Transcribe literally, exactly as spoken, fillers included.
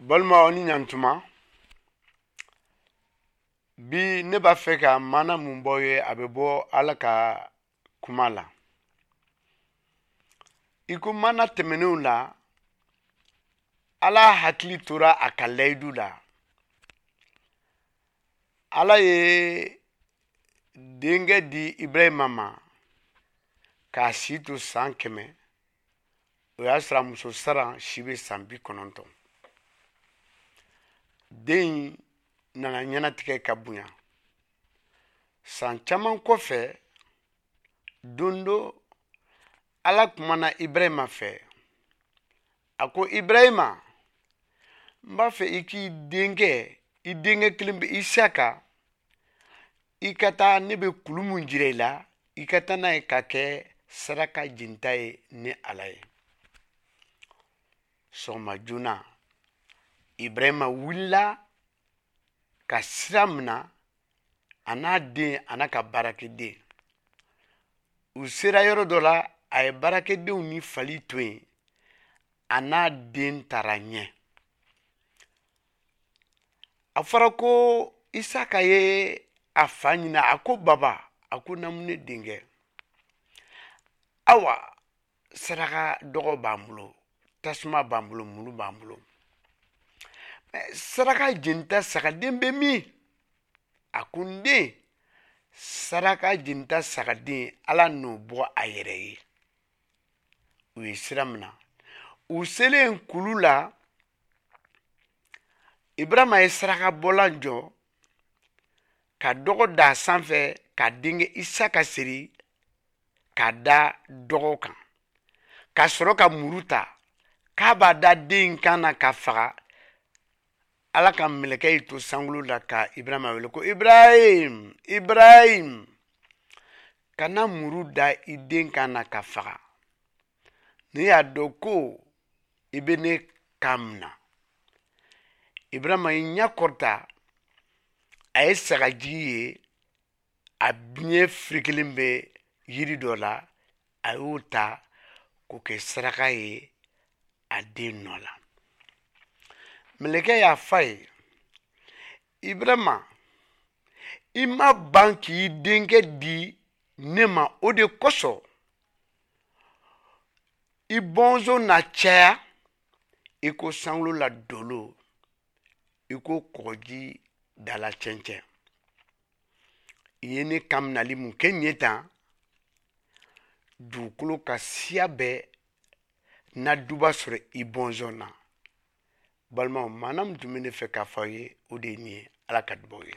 Balimaw ni ɲantuma, bi ne b'a fɛ ka maana mun bɔ ye, a bɛ bɔ Ala ka kuma la. I ko maana tɛmɛnenw la, Ala hakili tora a ka layidu la. Ala ye denkɛ di Ibrahima ma k'a si to san kɛmɛ. O y'a sɔrɔ a muso Saran si bɛ san bi kɔnɔntɔn. Den in nana ɲɛnatigɛ ka bonya. San caman kɔfɛ, don dɔ Ala kumana Ibrahima fɛ. A ko Ibrahima, n b'a fɛ i k'i denkɛ, i denkɛ kelen bɛ Isaka, i ka taa ne bɛ kulu mun jira i la, i ka taa n'a ye ka kɛ saraka jenita ye ni Ala ye. Sɔgɔma joona, Ibrahima wulila ka sira mina, a n'a den a n'a ka baarakɛden. U sera yɔrɔ dɔ la, a ye baarakɛdenw ni fali to yen, a n'a den taara ɲɛ. A fɔra ko Isaka ye a fa ɲini, a ko baba, a ko naamu ne denkɛ. Awa, saraka dɔgɔ b'an bolo, tasuma b'an bolo, muru b'an bolo. Saraka jenita sagaden bɛ min? A ko n den, saraka jenita sagaden Ala n'o bɔ a yɛrɛ ye. U ye sira mina. U selen kulu la, Ibrahima ye saraka bɔlan jɔ ka dɔgɔ da a sanfɛ ka denkɛ Isaka siri ka da dɔgɔ kan, ka sɔrɔ ka muru ta k'a b'a da den in kan na ka faga. Ala ka mɛlɛkɛ y'i to sankolo la ka Ibrahima wele ko Ibrahim, Ibrahim, kana muru da i den kan na ka faga. Ne y'a dɔn ko i bɛ ne kan minɛ. Ibrahima y'i ɲɛ kɔrɔta, a ye sagajigi ye, a biɲɛ firikelen bɛ yiri dɔ la, a y'o ta k'o kɛ saraka ye a den nɔ la. Mɛlɛkɛ y'a f'a ye, Ibrahima, i ma ban k'i denkɛ di ne ma, o de kosɔn i bɔnsɔn na caya i ko sankolo la dolo, i ko kɔgɔji dala cɛncɛn. I ye ne kan minali mun kɛ nin ye tan, dugukolo ka siya bɛɛ na duba sɔrɔ i bɔnsɔn na. Balimaw, maana min tun bɛ ne fɛ k'a fɔ aw ye, o de ye nin ye. Ala ka dubaw ye.